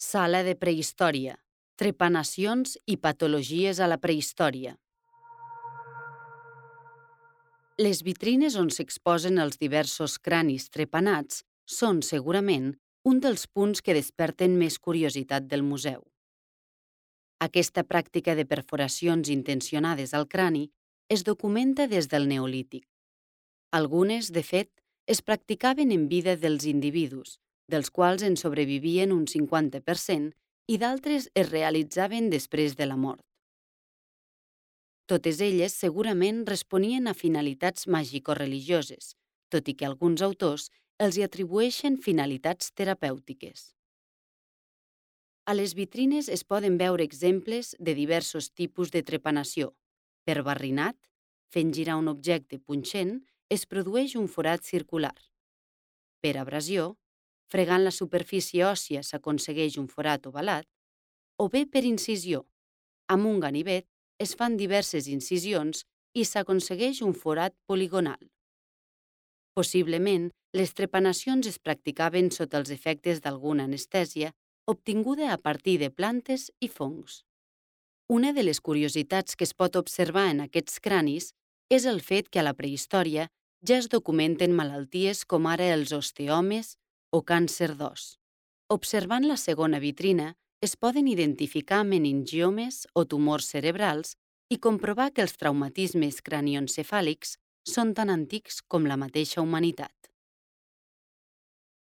Sala de prehistòria. Trepanacions i patologies a la prehistòria. Les vitrines on s'exposen els diversos cranis trepanats són, segurament, un dels punts que desperten més curiositat del museu. Aquesta pràctica de perforacions intencionades al crani es documenta des del Neolític. Algunes, de fet, es practicaven en vida dels individus, dels quals en sobrevivien un 50%, i d'altres es realitzaven després de la mort. Totes elles segurament responien a finalitats màgico-religioses, tot i que alguns autors els hi atribueixen finalitats terapèutiques. A les vitrines es poden veure exemples de diversos tipus de trepanació. Per barrinat, fent girar un objecte punxent, es produeix un forat circular. Per abrasió, fregant la superfície òssia s'aconsegueix un forat ovalat, o bé per incisió. Amb un ganivet es fan diverses incisions i s'aconsegueix un forat poligonal. Possiblement, les trepanacions es practicaven sota els efectes d'alguna anestèsia obtinguda a partir de plantes i fongs. Una de les curiositats que es pot observar en aquests cranis és el fet que a la prehistòria ja es documenten malalties com ara els osteomes o càncer d'os. Observant la segona vitrina, es poden identificar meningiomes o tumors cerebrals i comprovar que els traumatismes cranioencefàlics són tan antics com la mateixa humanitat.